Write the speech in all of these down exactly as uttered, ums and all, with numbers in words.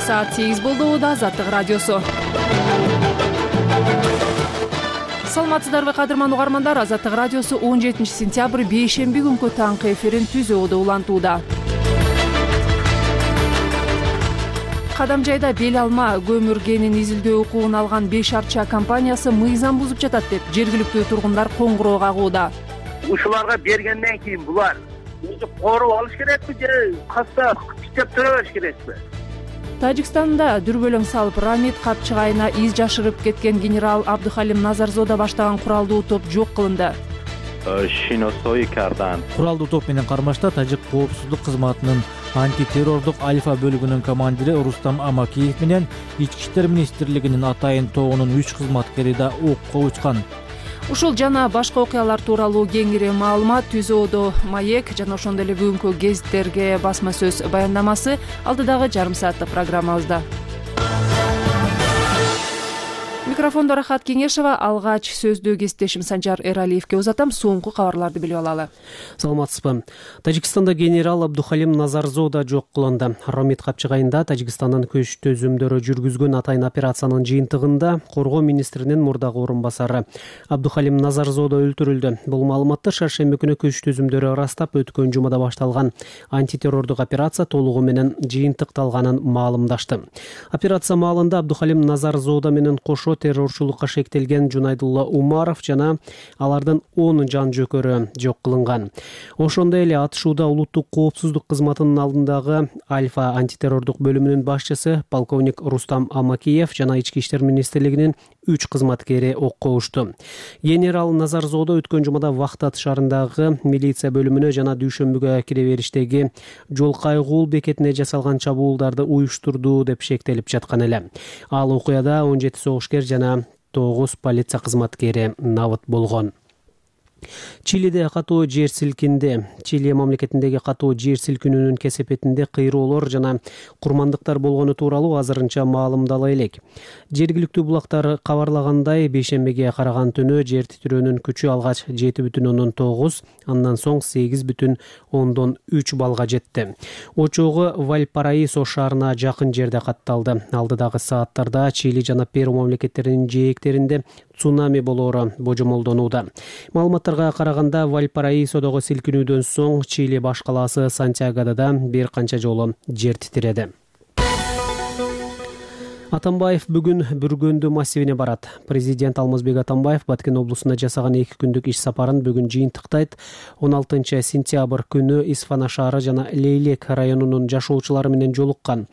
саат сегиз болду. Азаттык радиосу. Саламатсыздарбы кадырман угармандар. Азаттык радиосу он жетинчи сентябрь бейшемби күнкү таңкы эфирин түзүүдө улантууда. Кадам жайда бел алма көмүр кенин изилдөө укугун алган беш арча компаниясы мыйзам бузуп жатат деп жергиликтүү тургундар коңгуроо кагууда. Ушуларга бергенден кийин булар өзү коруп алыш керекпи же каста иштеп тура бериш керекпи? Тажикстанда дүрбөлөң салып Рамид капчыгайына из жашырып кеткен генерал Абдухалим Назарзода баштаган куралдуу топ жок кылынды. Куралдуу топ менен кармашта тажик коопсуздук кызматынын антитеррордук Альфа бөлүгүнүн командири Рустам Амакиев менен Ички иштер министрлигинин атайын тобунун үч кызматкери да окко учкан. Ушул жана башка окуялар тууралуу кеңири маалымат түзүүдө Маек жана ошондой эле бүгүнкү гезиттерге басма сөз баяндамасы алдыдагы жарым сааттык программабызда. Микрофондо Рахат Кеңешова, алгач сөздүү кесиптешим Санжар Эралиевке узатам. Соңку кабарларды билип алалы. Саламатсызбы. Тажикстанда генерал Абдухалим Назарзода жок кылынды. Рамид капчыгайында Тажикстандын көч төзүмдөрү жүргүзгөн атайын операциянын жыйынтыгында коргоо министринин мурдагы орун басары Абдухалим Назарзода өлтүрүлдү. Бул маалыматты шаршемби күнү көч төзүмдөрү ырастап өткөн жумада башталган антитеррордук операция толугу менен жыйынтыкталганын маалымдашты. Операция маалында Абдухалим Назарзода менен кошо террорчулукка шектелген Жунайдулла Умаров жана алардын он жан жөкөрү жок кылынган. Ошондой эле атышууда улуттук коопсуздук кызматынын алдындагы Альфа антитеррордук бөлүмүнүн башчысы полковник Рустам Амакиев жана Ички иштер министрлигинин үч кызматкери окко ушту. Генерал Назарзода өткөн жумада Вахтат шаарындагы милиция бөлүмүнө жана дүйшөмбүгө кире бериштеги жол кайгуул бекетине жасалган чабуулдарды уюштурду деп шектелип жаткан эле. Ал окуяда он жети согушкер жана тогуз полиция кызматкери набыт болгон. Чилиде катуу жер силкинди. Чили мамлекетиндеги катуу жер силкинүүнүн кесепетинде кыйроолор жана курмандыктар болгону тууралуу азырынча маалымдала элек. Жергиликтүү булактар кабарлагандай, бейшембиге караган түнү жер титирөөнүн күчү алгач жети бүтүн ондон тогуз, андан соң сегиз бүтүн ондон үч балга жетти. Очогу Вальпараисо шаарына жакын жерде катталды. Алдыдагы сааттарда Чили жана Перу мамлекеттеринин жээктеринде цунами болоору божомолдонууда. Маалыматтарга караганда, Вальпараисодогу силкинүүдөн соң Чили баш калаасы Сантьягода да бир канча жолу жер титиреди. Атамбаев бүгүн Бүргөндү массивине барат. Президент Алмазбек Атамбаев Баткен облусуна жасаган эки күндүк иш сапарын бүгүн жыйынтыктайт. он алтынчы сентябрь күнү Исфана шаары жана Лейлек районунун жашоочулары менен жолуккан.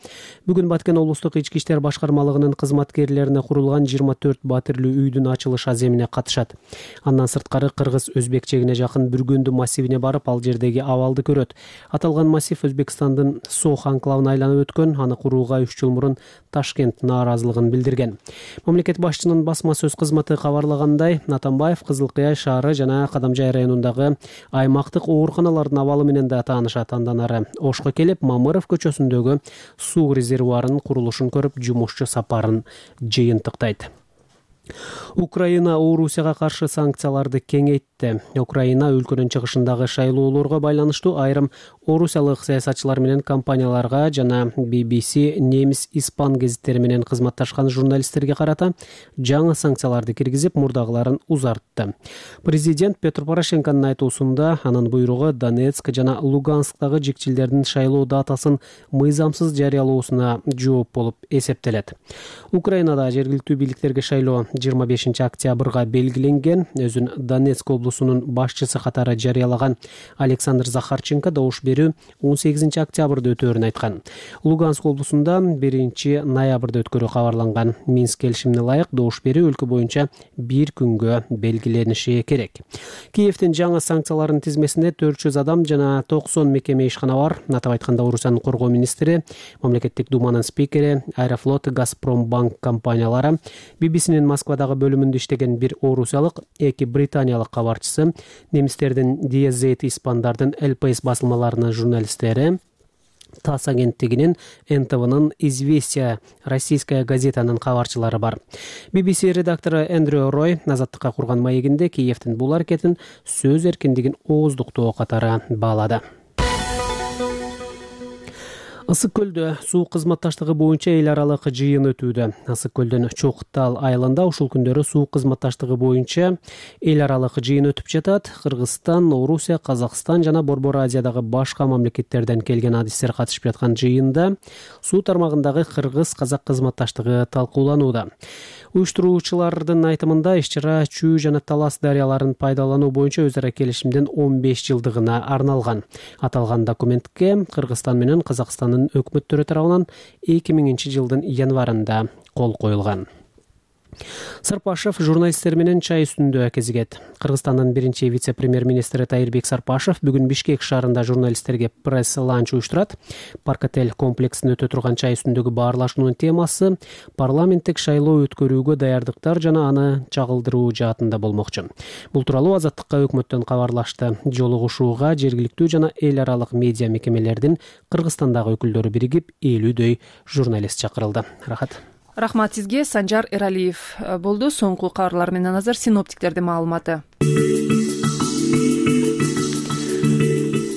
Бүгүн Баткен облустук ички иштер башкармалыгынын кызматкерлерине курулган жыйырма төрт батирлүү үйдүн ачылыш аземине катышат. Андан сырткары кыргыз-өзбек чегине жакын Бүргөндү массивине барып, ал жердеги абалды көрөт. Аталган массив Өзбекстандын Сох анклавына айланып өткөн, аны курууга үч жыл мурун Ташкент нааразылыгын билдирген. Мамлекет башчынын басма сөз кызматы кабарлагандай, Атамбаев Кызыл Кыя шаары жана Кадамжай районундагы аймактык ооруканалардын абалы менен да таанышат. Андан ары Ошко келип, Мамыров көчөсүндөгү суу резервуарынын курулушун көрүп, жумушчу сапарын жыйынтыктайт. Украина Орусияга каршы санкцияларды кеңейтти. Украина өлкөнүн чыгышындагы шайлоолорго байланыштуу айрым орусиялык саясатчылар менен компанияларга жана би би си немис испан гезиттери менен кызматташкан журналисттерге карата жаңы санкцияларды киргизип, мурдагыларын узартты. Президент Петр Порошенконун айтуусунда анын буйругу Донецк жана Лугансктагы жикчилдердин шайлоо датасын мыйзамсыз жарыялоосуна жооп болуп эсептелет. Украинада жергиликтүү бийликтерге шайлоо жыйырма бешинчи октябрга белгиленген. Өзүн Донецк облусунун башчысы катары жарыялаган Александр Захарченко добуш берүү он сегизинчи октябрда өтөөрүн айткан. Луганск облусунда биринчи ноябрда өткөрүү кабарланган. Минск келишимине ылайык добуш берүү өлкө боюнча бир күнгө белгилениши керек. Киевдин жаңы санкцияларынын тизмесинде төрт жүз адам жана токсон мекеме ишкана бар. Атап айтканда, Орусиянын коргоо министри, мамлекеттик думанын спикери, Аэрофлот, Газпромбанк компаниялары, би би синин Москвадагы бөлүмүндө иштеген бир орусиялык, эки британиялык кабарчысы, немистердин ди эс зет, испандардын эл пэ эс басылмаларынын журналисттери, ТАСС агенттигинин, эн тэ вэнын «Известия» российская газетанын кабарчылары бар. би би си редактору Эндрю Рой Азаттыкка курган маегинде Киевдин бул аракетин сөз эркиндигин ооздуктоо катары баалады. Ысык көлдө суу кызматташтыгы боюнча эл аралык жыйын өтүүдө. Ысык көлдөн Чоктал айылында ушул күндөрү суу кызматташтыгы боюнча эл аралык жыйын өтүп жатат. Кыргызстан, Орусия, Казакстан жана Борбор Азиядагы башка мамлекеттерден келген адистер катышып жаткан жыйында суу тармагындагы кыргыз-казак кызматташтыгы талкууланууда. Уюштуруучулардын айтымында иш-чара Чүй жана Талас дарыяларын пайдалануу боюнча өз ара келишимдин он беш жылдыгына арналган. Аталган документке Кыргызстан менен Казакстандын өкмөттөрү тарабынан эки миңинчи жылдын январында кол коюлган. Сарпашев журналисттер менен чай үстүндө кезигет. Кыргызстандын биринчи вице-премьер-министри Тайырбек Сарпашев бүгүн Бишкек шаарында журналисттерге пресс-ланч уюштурат. Парк-отель комплексинде өтө турган чай үстүндөгү баарлашуунун темасы парламенттик шайлоо өткөрүүгө даярдыктар жана аны чагылдыруу жаатында болмокчу. Бул тууралуу Азаттыкка өкмөттөн кабарлашты. Жолугушууга жергиликтүү жана эл аралык медиа мекемелердин Кыргызстандагы өкүлдөрү биригип элүүдөй журналист чакырылды. Рахат. Рахмат сизге. Санжар Эралиев болду. Соңку кабарлар менен азыр синоптиктердин маалыматы.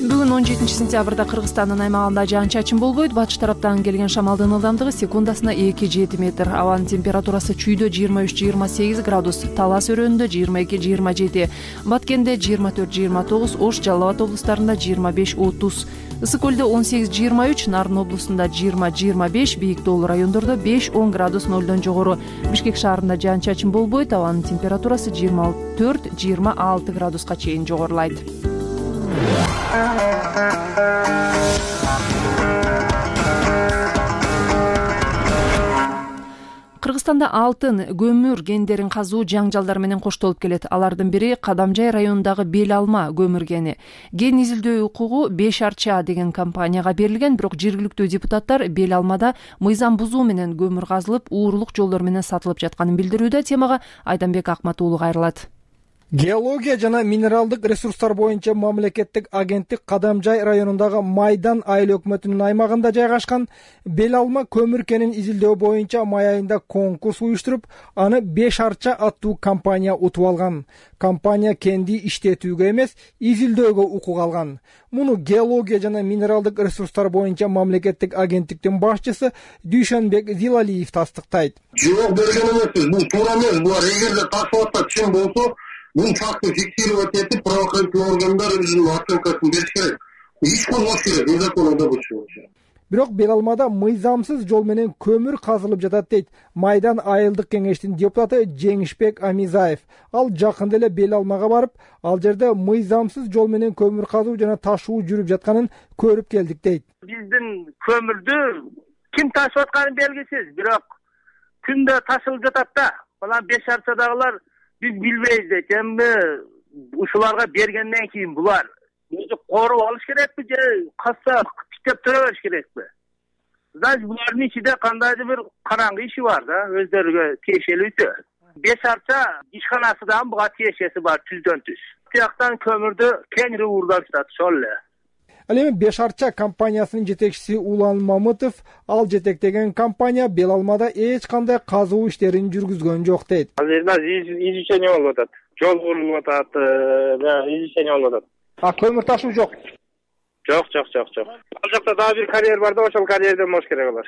Бүгүн он жетинчи сентябрда Кыргызстандын аймагында жаан-чачын болбойт. Батыш тараптан келген шамалдын ылдамдыгы секундасына эки жети метр. Абанын температурасы Чүйдө жыйырма үч жыйырма сегиз градус, Талас өрөөнүндө жыйырма эки жыйырма жети, Баткенде жыйырма төрт жыйырма тогуз, Ош, Жалал Абад облустарында жыйырма беш отуз, Ысык көлдө он сегиз жыйырма үч, Нарын облусунда жыйырма жыйырма беш, Бийик тоолуу райондордо беш он градус нолдон жогору. Бишкек шаарында жаан-чачын болбойт. Абанын температурасы жыйырма төрт жыйырма алты градуска чейин жогорулайт. Кыргызстанда алтын, көмүр кендерин казуу жаңжалдар менен коштолуп келет. Алардын бири Кадамжай районундагы Бел Алма көмүр кени. Кен изилдөө укугу беш арча деген компанияга берилген, бирок жергиликтүү депутаттар Бел Алмада мыйзам бузуу менен көмүр казылып, уурулук жолдор менен сатылып жатканын билдирүүдө. Темага Айданбек Акмат уулу кайрылат. Геология жана минералдык ресурстар боюнча мамлекеттик агенттик Кадамжай районундагы Майдан айыл өкмөтүнүн аймагында жайгашкан Бел Алма көмүр кенин изилдөө боюнча май айында конкурс уюштуруп, аны беш арча аттуу компания утуп алган. Компания кенди иштетүүгө эмес, изилдөөгө укук алган. Муну геология жана минералдык ресурстар боюнча мамлекеттик агенттиктин башчысы Дүйшөнбек Зилалиев тастыктайт. Жок берген эмеспиз, бул туура эмес. Булар эгерде ташып атса чын болсо, бул фактты фиксировать этип, правоохранительный органдар өзүнүн оценкасын бериш керек. Иш козгош керек, незаконно болчу. Бирок Бел Алмада мыйзамсыз жол менен көмүр казылып жатат дейт Майдан айылдык кеңештин депутаты Жеңишбек Амизаев. Ал жакында эле Бел Алмага барып, ал жерде мыйзамсыз жол менен көмүр казуу жана ташуу жүрүп жатканын көрүп келдик дейт. Биздин көмүрдү ким ташып атканы белгисиз, бирок күндө ташылып жатат да. Балан беш арчадагылар биз билбейбиз дейт. Эми ушуларга бергенден кийин булар өзү коруп алыш керекпи же кassa иштеп тура бериш керекпи? Значит, булардын ичинде кандайдыр бир караңгы иши бар да, өздөрүгө тиешелүү. Беш арча ишканасыдан буга тиешеси бар түздөн түз. Тияктан көмүрдү кеңири уурдап жатат ошол эле. Ал эми беш арча компаниясынын жетекчиси Улан Мамытов ал жетектеген компания Бел Алмада эч кандай казуу иштерин жүргүзгөн жок дейт. Азыр изучение болуп атат. Жол курулуп атат, изучение болуп атат. А көмүр ташуу жок. Жок, жок, жок, жок. Ал жакта дагы бир карьер бар да, ошол карьерден болуш керек алар.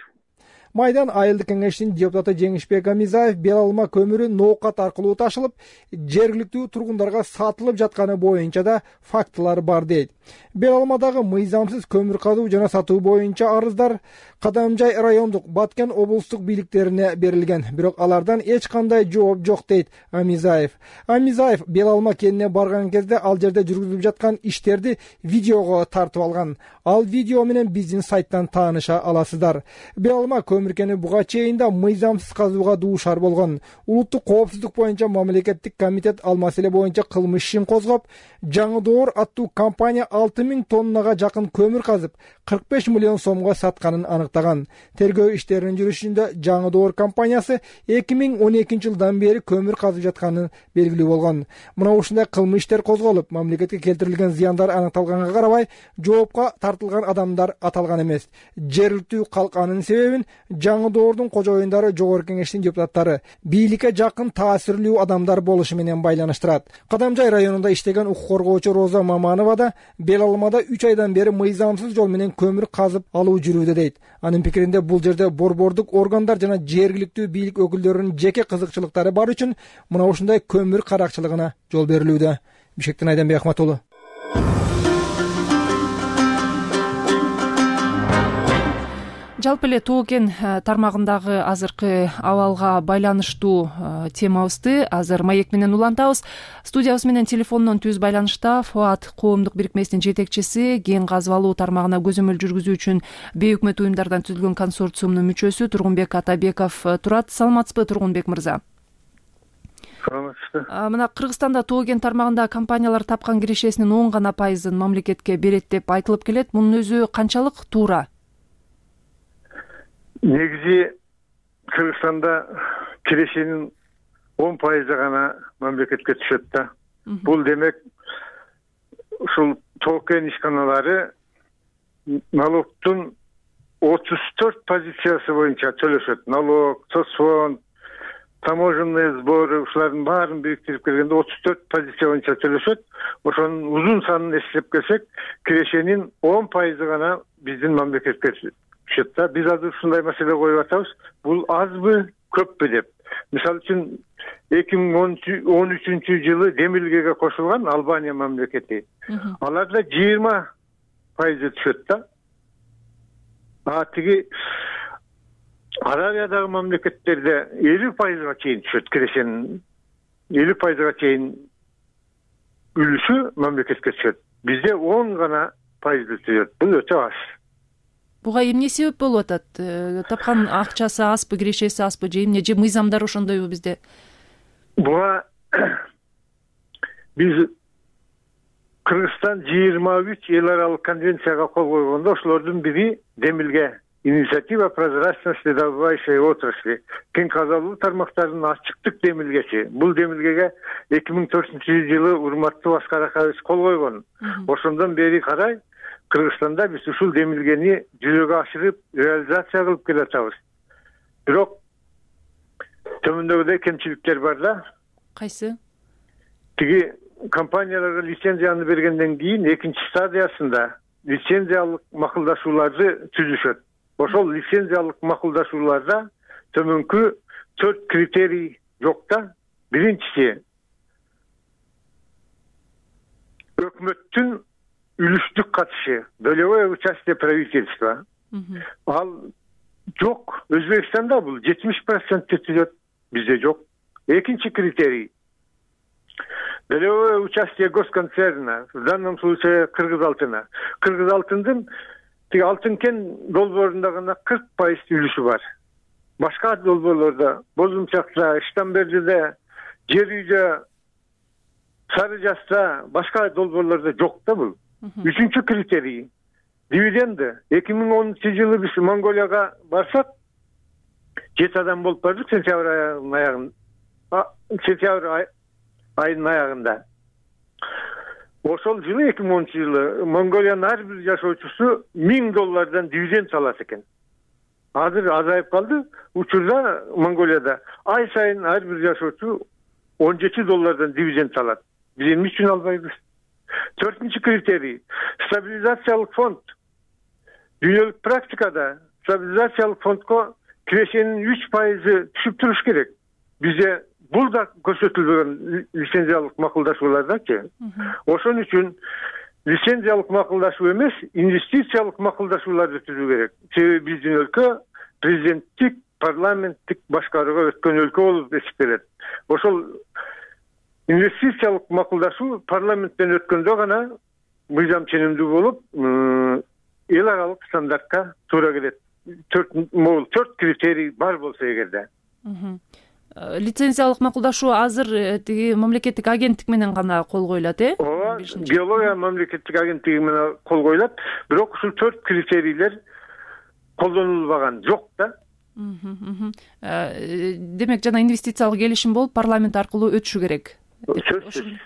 Майдан айылдык кеңештин депутаты Жеңишбек Амизаев Бел Алма көмүрү ноокат аркылуу ташылып, жергиликтүү тургундарга сатылып жатканы боюнча да фактылар бар дейт. Бел Алмадагы мыйзамсыз көмүр казуу жана сатуу боюнча арыздар Кадамжай райондук, Баткен облустук бийликтерине берилген, бирок алардан эч кандай жооп жок дейт Амизаев. Амизаев Бел Алма кенине барган кезде ал жерде жүргүзүлүп жаткан иштерди видеого тартып алган. Ал видео менен биздин сайттан тааныша аласыздар. Бел Алма көмүр кени буга чейин да мыйзамсыз казууга дуушар болгон. Улуттук коопсуздук боюнча мамлекеттик комитет ал маселе боюнча кылмыш ишин козгоп, Жаңы Доор аттуу компания алты миң тоннага жакын көмүр казып, кырк беш миллион сомго сатканын аныктаган. Тергөө иштеринин жүрүшүндө Жаңы Доор компаниясы эки миң он экинчи жылдан бери көмүр казып жатканы белгилүү болгон. Мына ушундай кылмыш иштер козголуп, мамлекетке келтирилген зыяндар аныкталганга карабай, жоопко тартылган адамдар аталган эмес. Жергиликтүү калк анын себебин жаңы доордун кожоюндары жогорку кеңештин депутаттары бийликке жакын таасирлүү адамдар болушу менен байланыштырат. Кадамжай районунда иштеген укук коргоочу Роза Маманова да бел алмада үч айдан бери мыйзамсыз жол менен көмүр казып алуу жүрүүдө дейт. Анын пикиринде бул жерде борбордук органдар жана жергиликтүү бийлик өкүлдөрүнүн жеке кызыкчылыктары бар үчүн мына ушундай көмүр каракчылыгына жол берилүүдө. Бишкектен Айданбек Ахматулу. Жалпы эле Тоо кен тармагындагы азыркы абалга байланыштуу темабызды азыр маек менен улантабыз. Студиябыз менен телефондон түз байланышта Фуат коомдук бирикмесинин жетекчиси, кен казып алуу тармагына көзөмөл жүргүзүү үчүн бейөкмөт уюмдардан түзүлгөн консорциумдун мүчөсү Тургунбек Атабеков турат. Саламатсызбы, Тургунбек мырза? Саламатсызбы. Мына Кыргызстанда Тоо кен тармагында компаниялар тапкан кирешесинин он гана пайызын мамлекетке берет деп айтылып келет. Мунун өзү канчалык туура? Негизи Кыргызстанда кирешенин он пайызы гана мамлекетке түшөт да. Бул демек ушул Тоо кен ишканалары налогтун отуз төрт позициясы боюнча төлөшөт. Налог, соцфонд, таможенный сборы ушулардын баарын бириктирип келгенде отуз төрт позиция боюнча төлөшөт. Ошонун узун санын эслеп келсек, кирешенин он пайызы гана биздин мамлекетке түшөт. Биз азыр ушундай маселе коюп атабыз. Бул азбы, көппү деп. Мисалы үчүн эки миң он үчүнчү жылы Демилгеге кошулган Албания мамлекети. Аларда жыйырма пайызы түшөт да. А тиги Аравиядагы мамлекеттерде элүү пайызга чейин түшөт кирешенин. элүү пайызга чейин үлүшү мамлекетке түшөт. Бизде он гана пайызды түшөт. Бул өтө аз. Буга эмне себеп болуп атат? Тапкан акчасы азбы, кирешеси азбы, же эмне, же мыйзамдар ошондойбу бизде? Буга биз Кыргызстан жыйырма үч эл аралык конвенцияга кол койгондо ошолордун бири Демилге инициатива прозрачности добывающей отрасли, кен казалуу тармактарынын ачыктык демилгеси. Бул демилгеге эки миң төртүнчү жылы урматтуу Аскар Акаевич кол койгон. Ошондон бери карай Кыргызстанда биз ушул демилгени жүзөгө ашырып, реализация кылып келатабыз. Бирок төмөндөгүдөй кемчиликтер бар да. Кайсы? Тиги компанияларга лицензияны бергенден кийин экинчи стадиясында лицензиялык макулдашууларды түзүшөт. Ошол лицензиялык макулдашууларда төмөнкү төрт критерий жок да. Биринчиси өкмөттүн үлүштүк катышы, долевое участие правительства. Ал жок. Өзбекстанда бул жетимиш процентке түзөт, бизде жок. Экинчи критерий долевое участие госконцерна, в данном случае Кыргызалтына. Кыргызалтындын тиги алтын кен долбоорунда гана кырк пайыз үлүшү бар. Башка долбоорлордо, Бозумчакта, Иштамбердиде, Жер үйдө, Сары Жаста, башка долбоорлордо жок да бул. Үчүнчү критерий дивиденды. эки миң онунчу жылы биз Монголияга барсак, жети адам болуп бардык сентябрь айынын аягында. Сентябрь айынын аягында. Ошол жылы эки миң онунчу жылы Монголиянын ар бир жашоочусу миң доллардан дивиденд алат экен. Азыр азайып калды. Учурда Монголияда ай сайын ар бир жашоочу он жети доллардан дивиденд алат. Биз эмне үчүн албайбыз? Төртүнчү критерий стабилизациялык фонд. Дүйнөлүк практикада стабилизациялык фондко кирешенин үч пайызы түшүп туруш керек. Бизде бул да көрсөтүлбөгөн лицензиялык макулдашуулардачы. Ошон үчүн лицензиялык макулдашуу эмес, инвестициялык макулдашууларды түзүү керек. Себеби биздин өлкө президенттик, парламенттик башкарууга өткөн өлкө болуп эсептелет. Ошол инвестициялык макулдашуу парламенттен өткөндө гана мыйзам ченемдүү болуп, эл аралык стандартка туура келет. Төрт могул төрт критерий бар болсо эгерде. Лицензиялык макулдашуу азыр тиги мамлекеттик агенттик менен гана кол коюлат, э? Ооба, геология мамлекеттик агенттиги менен кол коюлат, бирок ушул төрт критерийлер колдонулбаган жок да. Демек жана инвестициялык келишим болуп парламент аркылуу өтүшү керек.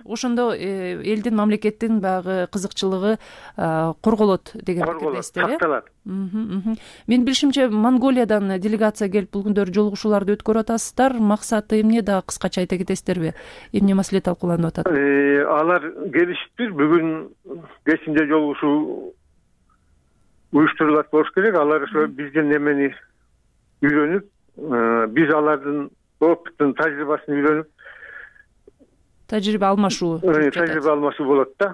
ошондо элдин мамлекеттин баягы кызыкчылыгы корголот деген пикирдесиздер, э? Сакталат. Менин билишимче Монголиядан делегация келип бул күндөр жолугушууларды өткөрүп атасыздар. Максаты эмне да кыскача айта кетесиздерби? Эмне маселе талкууланып атат? Алар келишиптир. Бүгүн кечинде жолугушуу уюштурулат болуш керек. Алар ошо бизден эмени үйрөнүп, биз алардын опытын, тажрыйбасын үйрөнүп, тажрыйба алмашуу тажрыйба алмашуу болот да.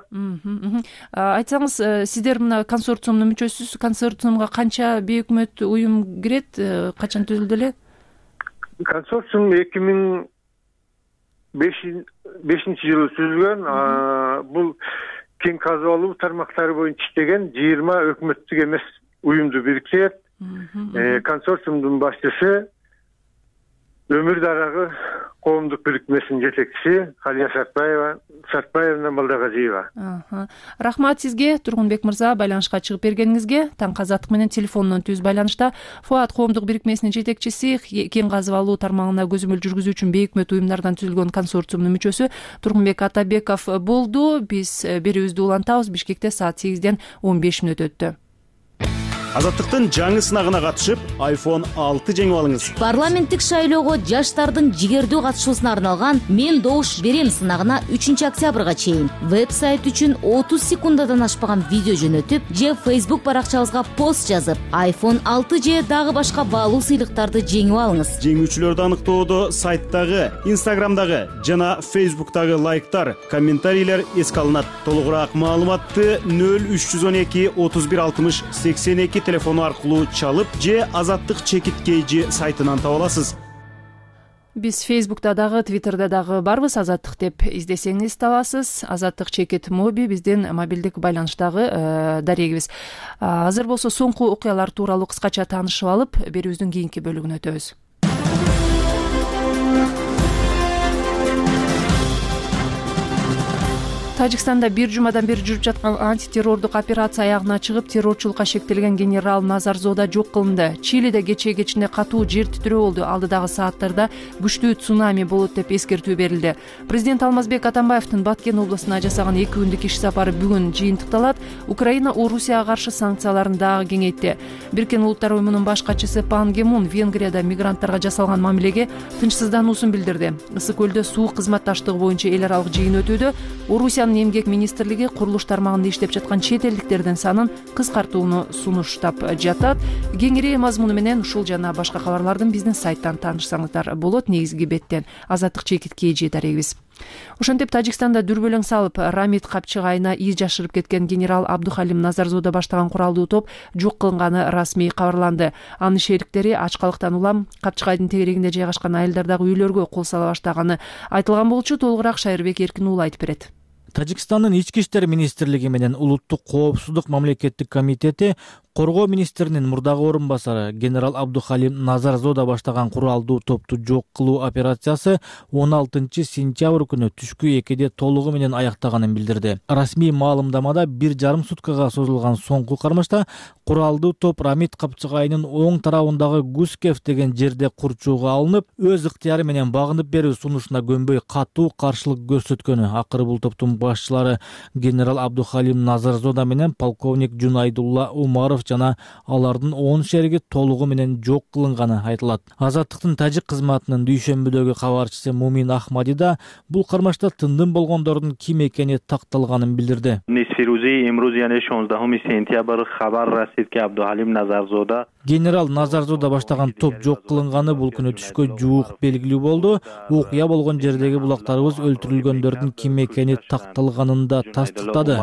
Айтсаңыз, сиздер мына консорциумдун мүчөсүсүз. Консорциумга канча бейөкмөт уюм кирет? Качан түзүлдү эле? Консорциум эки миң бешинчи жылы түзүлгөн. Бул кең казып алуу тармактары боюнча иштеген жыйырма өкмөттүк эмес уюмду бириктирет. Консорциумдун башчысы Өмүр дарагы коомдук бирикмесинин жетекчиси Халия Сартбаева, Сартбаевна Балдагажиева. Рахмат сизге, Тургунбек мырза, байланышка чыгып бергениңизге. Таңкы азаттык менен телефондон түз байланышта Фуат коомдук бирикмесинин жетекчиси, кең казып алуу тармагына көзөмөл жүргүзүү үчүн бейөкмөт уюмдардан түзүлгөн консорциумдун мүчөсү Тургунбек Атабеков болду. Биз берүүбүздү улантабыз. Бишкекте саат сегизден он беш мүнөт өттү. Азаттыктын жаңы сынагына катышып, айфон алты жеңип алыңыз. Парламенттик шайлоого жаштардын жигердүү катышуусуна арналган Мен добуш берем сынагына үчүнчү октябрга чейин веб-сайт үчүн отуз секундадан ашпаган видео жөнөтүп же Facebook баракчабызга пост жазып, айфон алты же дагы башка баалуу сыйлыктарды жеңип алыңыз. Жеңүүчүлөрдү аныктоодо сайттагы, Instagramдагы жана Facebook'тагы лайктар, комментарийлер эске алынат. Толугураак маалыматты нөл үч жүз он эки отуз бир алтымыш сексен эки телефону аркылуу чалып же Азаттык чекит кейжи сайтынан таба аласыз. Биз Facebook'та дагы, Twitter'да дагы барбыз. Азаттык деп издесеңиз табасыз. Азаттык чекит моби биздин мобилдик байланыштагы дарегибиз. Азыр болсо соңку окуялар тууралуу кыскача таанышып алып, берүүбүздүн кийинки бөлүгүнө өтөбүз. Тажикстанда бир жумадан бери жүрүп жаткан антитеррордук операция аягына чыгып, террорчулукка шектелген генерал Назарзода жок кылынды. Чилиде кечээ кечинде катуу жер титирөө болду. Алдыдагы сааттарда күчтүү цунами болот деп эскертүү берилди. Президент Алмазбек Атамбаевдин Баткен облусуна жасаган эки күндүк иш сапары бүгүн жыйынтыкталат. Украина Орусияга каршы санкцияларын дагы кеңейтти. Бириккен Улуттар уюмунун баш катчысы Пан Ги Мун Венгрияда мигранттарга жасалган мамилеге тынчсыздануусун билдирди. Ысык көлдө суу кызматташтыгы боюнча эл аралык жыйын өтүүдө. Орусия Эмгек министрлиги курулуш тармагында иштеп жаткан чет элдиктердин санын кыскартууну сунуштап жатат. Кеңири мазмуну менен ушул жана башка кабарлардын биздин сайттан таанышсаңыздар болот. Негизги беттен Азаттык чекит кейжи дарегибиз. Ошентип Тажикстанда дүрбөлөң салып, Рамид Капчыгайына из жашырып кеткен генерал Абдухалим Назарзода баштаган куралдуу топ жок кылынганы расмий кабарланды. Анын шериктери ачкалыктан улам Капчыгайдын тегерегинде жайгашкан айылдардагы үйлөргө кол сала баштаганы айтылган болчу. Толугураак Шайырбек Эркин уулу айтып берет. Тажикстандын ички иштер министрлиги менен улуттук коопсуздук мамлекеттик комитети коргоо министринин мурдагы орун басары генерал Абдухалим Назарзода баштаган куралдуу топту жок кылуу операциясы он алтынчы сентябрь күнү түшкү экиде толугу менен аяктаганын билдирди. Расмий маалымдамада бир жарым суткага созулган соңку кармашта куралдуу топ Рамид Капчыгайнын оң тарабындагы Гускев деген жерде курчууга алынып, өз ыктыяры менен багынып берүү сунушуна көнбөй катуу каршылык көрсөткөнү. Акыры бул топтун башчылары генерал Абдухалим Назарзода менен полковник Жунайдулла Умаров жана алардын он шериги толугу менен жок кылынганы айтылат. Азаттыктын тажик кызматынын дүйшөмбүдөгү кабарчысы Мумин Ахмади да бул кармашта тындым болгондордун ким экени такталганын билдирди. Генерал Назарзода баштаган топ жок кылынганы бул күнү түшкө жуук белгилүү болду. Окуя болгон жердеги булактарыбыз өлтүрүлгөндөрдүн ким экени такталганын да тастыктады.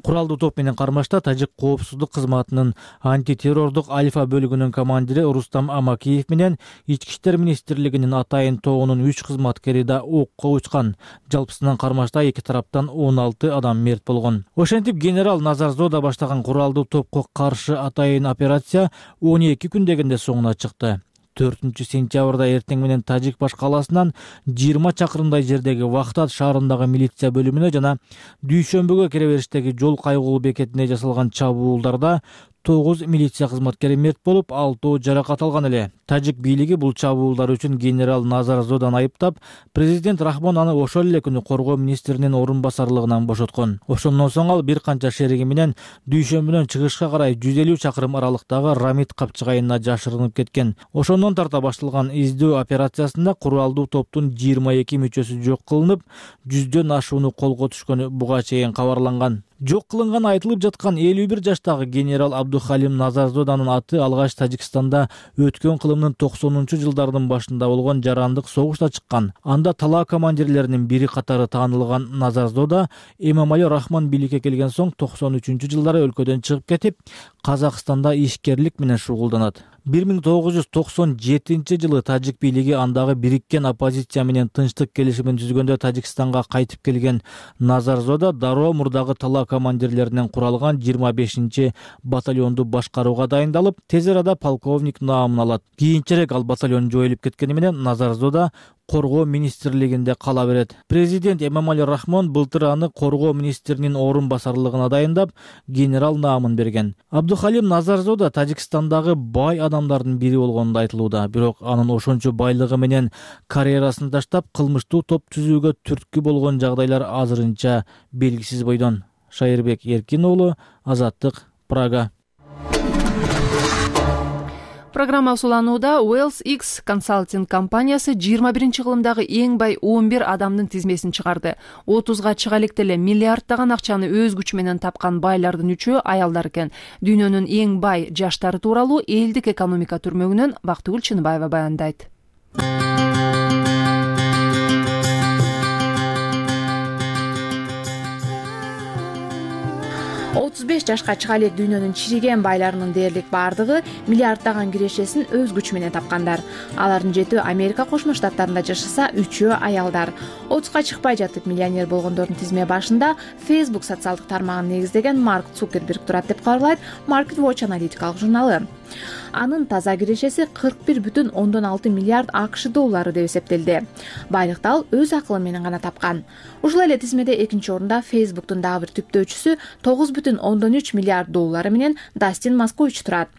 Куралдуу топ менен кармашта тажик коопсуздук кызматынын антитеррордук альфа бөлүгүнүн командири Рустам Амакиев менен ички иштер министрлигинин атайын тобунун үч кызматкери да окко учкан. Жалпысынан кармашта эки тараптан он алты адам мерт болгон. Ошентип генерал Назарзода баштаган куралдуу топко каршы атайын операция он эки күн дегенде соңуна чыкты. төртүнчү сентябрда эртең менен Тажик баш калаасынан жыйырма чакырымдай жердеги Вахтат шаарындагы милиция бөлүмүнө жана дүйшөмбүгө кире бериштеги жол кайгылуу бекетине жасалган чабуулдарда тогуз милиция кызматкери мерт болуп, алтоо жаракат алган эле. Тажик бийлиги бул чабуулдар үчүн генерал Назарзоданы айыптап, президент Рахмон аны ошол эле күнү коргоо министринин орун басарлыгынан бошоткон. Ошондон соң ал бир канча шериги менен дүйшөмбүнөн чыгышка карай жүз элүү чакырым аралыктагы Рамит капчыгайына жашырынып кеткен. Ошондон тарта башталган издөө операциясында куралдуу топтун жыйырма эки мүчөсү жок кылынып, жүздөн ашууну колго түшкөнү буга чейин кабарланган. Жок кылынган айтылып жаткан элүү бир жаштагы генерал Абдухалим Назарзоданын аты алгач Тажикстанда өткөн кылымдын токсонунчу жылдардын башында болгон жарандык согушта чыккан. Анда талаа командирлеринин бири катары таанылган Назарзода Эмомали Рахмон бийликке келген соң токсон үчүнчү жылдары өлкөдөн чыгып кетип, Казакстанда ишкерлик менен шугулданат. бир миң тогуз жүз токсон жетинчи жылы тажик бийлиги андагы бириккен оппозиция менен тынчтык келишимин түзгөндө Тажикстанга кайтып келген Назарзода дароо мурдагы талаа командирлеринен куралган жыйырма бешинчи батальонду башкарууга дайындалып, тез арада полковник наамын алат. Кийинчерээк ал батальон жоюлуп кеткени менен Назарзода коргоо министрлигинде кала берет. Президент Эмомали Рахмон былтыр аны коргоо министринин орун басарлыгына дайындап, генерал наамын берген. Абдухалим Назарзода Тажикстандагы бай адамдардын бири болгону айтылууда, бирок анын ошончо байлыгы менен карьерасын таштап, кылмыштуу топ түзүүгө түрткү болгон жагдайлар азырынча белгисиз бойдон. Шайырбек Эркин уулу, Азаттык, Прага. Программа усуланууда Wells X консалтинг компаниясы жыйырма биринчи кылымдагы эң бай он бир адамдын тизмесин чыгарды. отузга чыга электе эле миллиарддаган акчаны өз күчү менен тапкан байлардын үчөө аялдар экен. Дүйнөнүн эң бай жаштары тууралуу элдик экономика түрмөгүнөн Бактыгүл Чыныбаева баяндайт. отуз беш жашка чыга элек дүйнөнүн чириген байларынын дээрлик баардыгы миллиарддаган кирешесин өз күчү менен тапкандар. Алардын жетөө Америка Кошмо Штаттарында жашаса, үчөө аялдар. отузга чыкпай жатып миллионер болгондордун тизме башында Facebook социалдык тармагын негиздеген Марк Цукерберг турат деп кабарлайт Market Watch аналитикалык журналы. Анын таза кирешеси кырк бир бүтүн ондон алты миллиард АКШ доллары деп эсептелди. Байлыкты ал өз акылы менен гана тапкан. Ушул эле тизмеде экинчи орунда Facebooktун дагы бир түптөөчүсү тогуз бүтүн ондон үч миллиард доллары менен Дастин Маскович турат.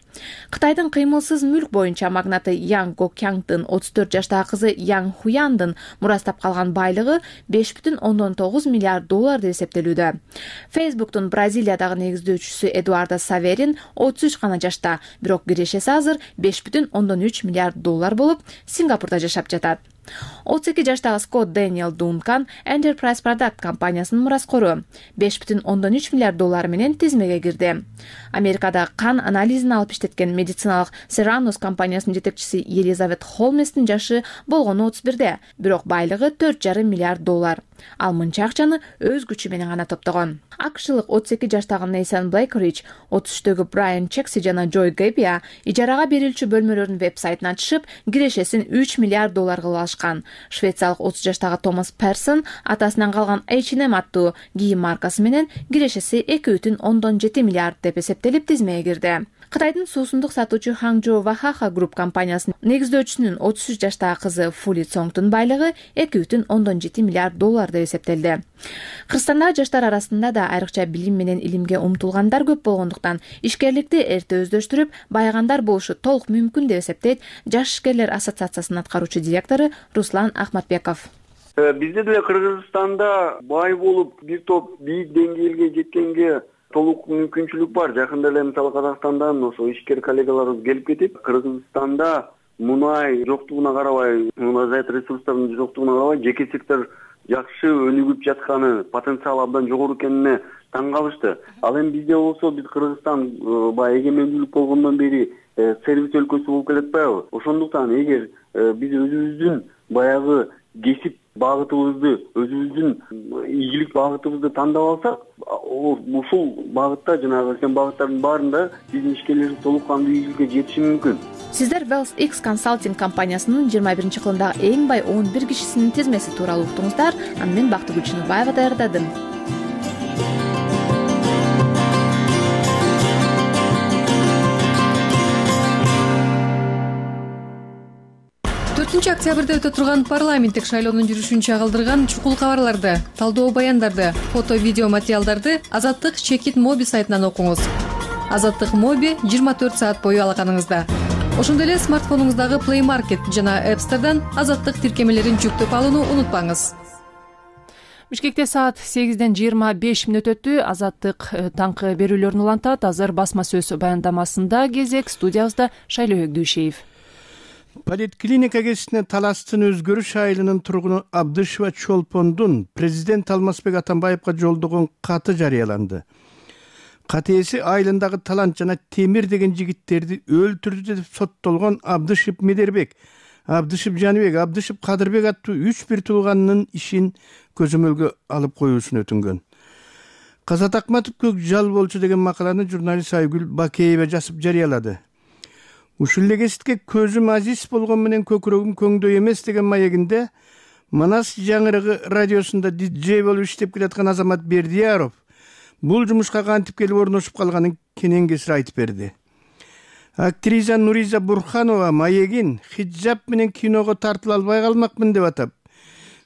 Кытайдын кыймылсыз мүлк боюнча магнаты Ян Гокянгдын отуз төрт жаштагы кызы Ян Хуяндын мурастап калган байлыгы беш бүтүн ондон тогуз миллиард доллар деп эсептелүүдө. Facebooktун Бразилиядагы негиздөөчүсү Эдуардо Саверин отуз үч гана жашта, бирок кирешеси азыр беш бүтүн ондон үч миллиард доллар болуп, Сингапурда жашап жатат. отуз эки жаштагы Скотт Дэниел Дункан Enterprise Product компаниясынын мураскору беш бүтүн ондон үч миллиард доллар менен тизмеге кирди. Америкада кан анализин алып иштеткен медициналык Serranos компаниясынын жетекчиси Елизавет Холместин жашы болгону отуз бирде, бирок байлыгы төрт жарым миллиард доллар. Ал мынча акчаны өз күчү менен гана топтогон. акшылык отуз эки жаштагы Нейсан Блейкрич, отуз үчтөгү Брайан Чекси жана Джой Гэбия ижарага берилчү бөлмөлөрдүн веб-сайтын ачышып, кирешесин үч миллиард доллар кылып алышкан. Швециялык отуз жаштагы Томас Персон атасынан калган эйч энд эм аттуу кийим маркасы менен кирешеси эки бүтүн ондон жети миллиард деп эсептелип тизмеге кирди. Кытайдын суусундук сатуучу Hangzhou Wahaha Group компаниясынын негиздөөчүсүнүн отуз үч жаштагы кызы Фули Цонгдун байлыгы эки бүтүн ондон жети миллиард доллар деп эсептелди. Кыргызстандагы жаштар арасында да айрыкча билим менен илимге умтулгандар көп болгондуктан ишкерликти эрте өздөштүрүп, байыгандар болушу толук мүмкүн деп эсептейт Жаш ишкерлер ассоциациясынын аткаруучу директору Руслан Ахматбеков. Бизде деле Кыргызстанда бай болуп, бир топ бийик деңгээлге жеткенге толук мүмкүнчүлүк бар. Жакында эле мисалы Казакстандан ошо ишкер коллегаларыбыз келип кетип, Кыргызстанда мунай жоктугуна карабай, мунайзат ресурстардын жоктугуна карабай, жеке сектор жакшы өнүгүп жатканы, потенциал абдан жогору экенине таң калышты. Ал эми бизде болсо, биз Кыргызстан баягы эгемендүүлүк болгондон бери сервис өлкөсү болуп келатпайбы? Ошондуктан эгер биз өзүбүздүн баягы кесип багытыбызды, өзүбүздүн ийгилик багытыбызды тандап алсак, ушул багытта жанагы сен багыттардын баарында биздин ишкерлерибиз толук кандуу ийгиликке жетиши мүмкүн. Сиздер Wells X консалтинг компаниясынын жыйырма биринчи кылымдагы эң бай он бир кишисинин тизмеси тууралуу уктуңуздар. Аны мен Бактыгүл Чыныбаева даярдадым. төртүнчү октябрда өтө турган парламенттик шайлоонун жүрүшүн чагылдырган чукул кабарларды, талдоо баяндарды, фото видео материалдарды Азаттык Чекит Моби сайтынан окуңуз. Азаттык Моби жыйырма төрт саат бою алаканыңызда. Ошондой эле смартфонуңуздагы Play Market жана App Store'дан Азаттык тиркемелерин жүктөп алууну унутпаңыз. Бишкекте саат сегизден жыйырма беш мүнөт өттү. Азаттык таңкы берүүлөрүн улантат. Азыр басма сөз баяндамасында кезек студиябызда Шайлоо Өгдүшеев. Поликлиника кесине Таластын Өзгөрүш айылынын тургуну Абдышева Чолпондун президент Алмазбек Атамбаевга жолдогон каты жарыяланды. Кат ээси айылындагы талант жана Темир деген жигиттерди өлтүрдү деп соттолгон Абдышев Медербек, Абдышев Жаныбек, Абдышев Кадырбек аттуу үч бир тууганынын ишин көзөмөлгө алып коюусун өтүнгөн. Казат Акматов көк жал болчу деген макаланы журналист Айгүл Бакеева жазып жарыялады. Ушул эле кесипке көзүм азиз болгон менен көкүрөгүм көңдөй эмес деген маегинде Манас жаңырыгы радиосунда диджей болуп иштеп келаткан Азамат Бердияров бул жумушка кантип келип орношуп калганын кенен кесир айтып берди. Актриса Нуриза Бурханова маегин хиджаб менен киного тартыла албай калмакмын деп атап,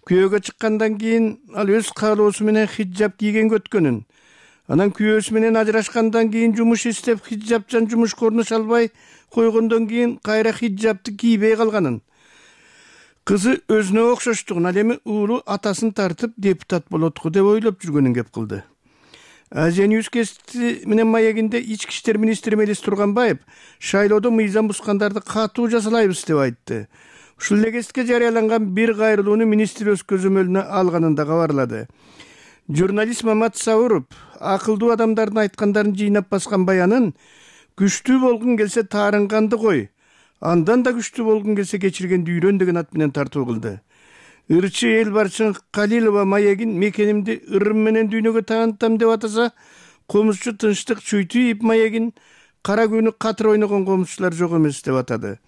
күйөөгө чыккандан кийин ал өз каалоосу менен хиджаб кийгенге өткөнүн, анан күйөөсү менен ажырашкандан кийин жумуш иштеп хиджабчан жумушка орношо албай койгондон кийин кайра хиджабты кийбей калганын, кызы өзүнө окшоштугун, ал эми уулу атасын тартып депутат болотку деп ойлоп жүргөнүн кеп кылды. Азия Ньюс кести менен маегинде ички иштер министри Мелис Турганбаев шайлоодо мыйзам бускандарды катуу жазалайбыз деп айтты. Ушул эле кесипке жарыяланган бир кайрылууну министр өз көзөмөлүнө алганын да кабарлады. Журналист Мамат Сауров акылдуу адамдардын айткандарын жыйнап баскан баянын күчтүү болгун келсе таарынганды кой, андан да күчтүү болгун келсе кечиргенди үйрөн деген ат менен тартуу кылды. Ырчы эл барчын Калилова маегин мекенимди ырым менен дүйнөгө таанытам деп атаса, комузчу Тынчтык Чуйтиев маегин кара күнү катыр ойногон комузчулар жок эмес деп атады.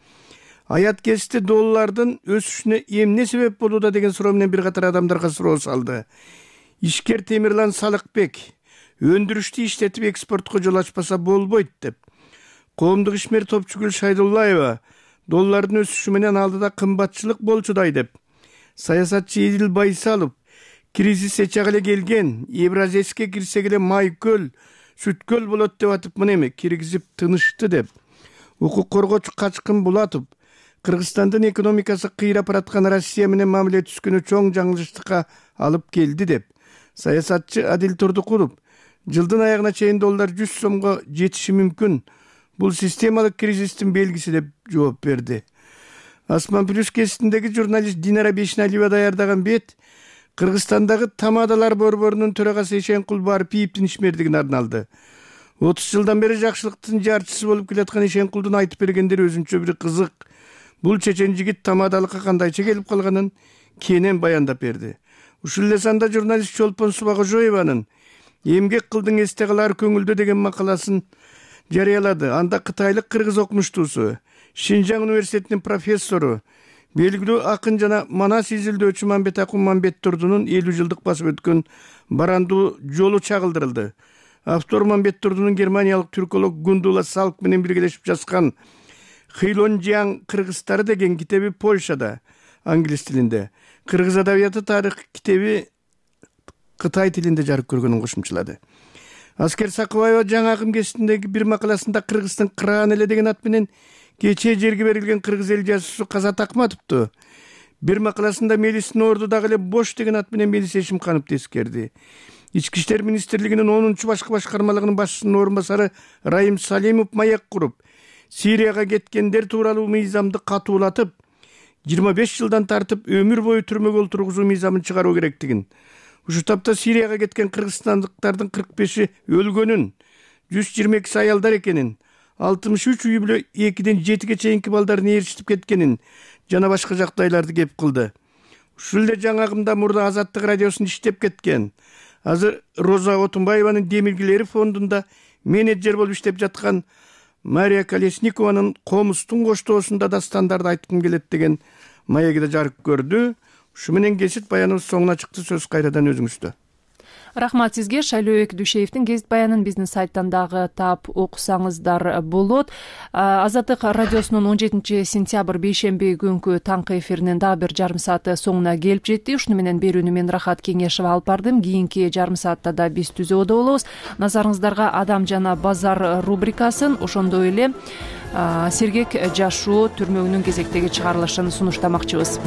Аят кести доллардын өсүшүнө эмне себеп болууда деген суроо менен бир катар адамдарга суроо салды. Ишкер Темирлан Салыкбек өндүрүштү иштетип экспортко жол ачпаса болбойт деп. Коомдук ишмер Топчугүл Шайдуллаева доллардын өсүшү менен алдыда кымбатчылык болчудай деп. Саясатчы Идил Байсалов кризис эчак эле келген, Евразеске кирсек эле майкөл, сүткөл болот деп атып, мына эми киргизип тынышты деп. Укук коргоочу Качкын Булатов Кыргызстандын экономикасы кыйрап бараткан Россия менен мамиле түзгөнү чоң жаңылыштыкка алып келди деп. Саясатчы Адил Турдукулов жылдын аягына чейин доллар жүз сомго жетиши мүмкүн. Бул системалык кризистин белгиси деп жооп берди. Асман Плюс кеситиндеги журналист Динара Бешналиева даярдаган бет Кыргызстандагы тамадалар борборунун төрагасы Ишенкул Барпиевдин ишмердигине арналды. отуз жылдан бери жакшылыктын жарчысы болуп келаткан Ишенкулдун айтып бергендери өзүнчө бир кызык. Бул чечен жигит тамадалыкка кандайча келип калганын кенен баяндап берди. Ушул эле санда журналист Чолпон Субагожоеванын эмгек кылдың эсте калар көңүлдө деген макаласын жарыялады. Анда кытайлык кыргыз окумуштуусу, Шинжаң университетинин профессору, белгилүү акын жана Манас изилдөөчү Мамбет Акун Мамбеттурдунун элүү жылдык басып өткөн барандуу жолу чагылдырылды. Автор Мамбеттурдунун германиялык түрколог Гундула Салк менен биргелешип жазган Хилонжиаң кыргызтары деген китеби Польшада, англис тилинде, кыргыз адабияты тарых китеби Кытай тилинде жарык көргөнүн кошумчалады. Аскер Сакыбаева жаңы акым кеситиндеги бир макаласында Кыргыздын кыраан эле деген ат менен кечээ жерге берилген кыргыз эл жазуучусу Казат Акматовду, бир макаласында Мелистин орду дагы эле бош деген ат менен Мелис Эшимканов тескерди. Ички иштер министрлигинин онунчу башкы башкармалыгынын башчысынын орун басары Райым Салимов маек куруп, Сирияга кеткендер тууралуу мыйзамды катуулатып, жыйырма беш жылдан тартып өмүр бою түрмөгө олтургузуу мыйзамын чыгаруу керектигин, ушу тапта Сирияга кеткен кыргызстандыктардын кырк беши өлгөнүн, жүз жыйырма экиси аялдар экенин, алтымыш үч үй бүлө экиден жетиге чейинки балдарын ээрчитип кеткенин жана башка жагдайларды кеп кылды. Ушул эле жаңы агымда мурда Азаттык радиосунда иштеп кеткен, азыр Роза Отунбаеванын Демилгелери фондунда менеджер болуп иштеп жаткан Мария Колесникованын Комустун коштоосунда дастандарды айткым келет деген маегиде жарык көрдү. Ушу менен кесит баяныбыз соңуна чыкты. Сөз кайрадан өзүңүздө. Рахмат сизге. Шайлообек Дүйшеевдин гезит баянын биздин сайттан дагы таап окусаңыздар болот. Азаттык радиосунун он жетинчи сентябрь бейшемби күнкү таңкы эфиринин дагы бир жарым сааты соңуна келип жетти. Ушуну менен берүүнү мен Рахат Кеңешева алып бардым. Кийинки жарым саатта да биз түзөөдө болобуз. Назарыңыздарга Адам жана базар рубрикасын, ошондой эле сергек жашоо түрмөгүнүн кезектеги чыгарылышын сунуштамакчыбыз.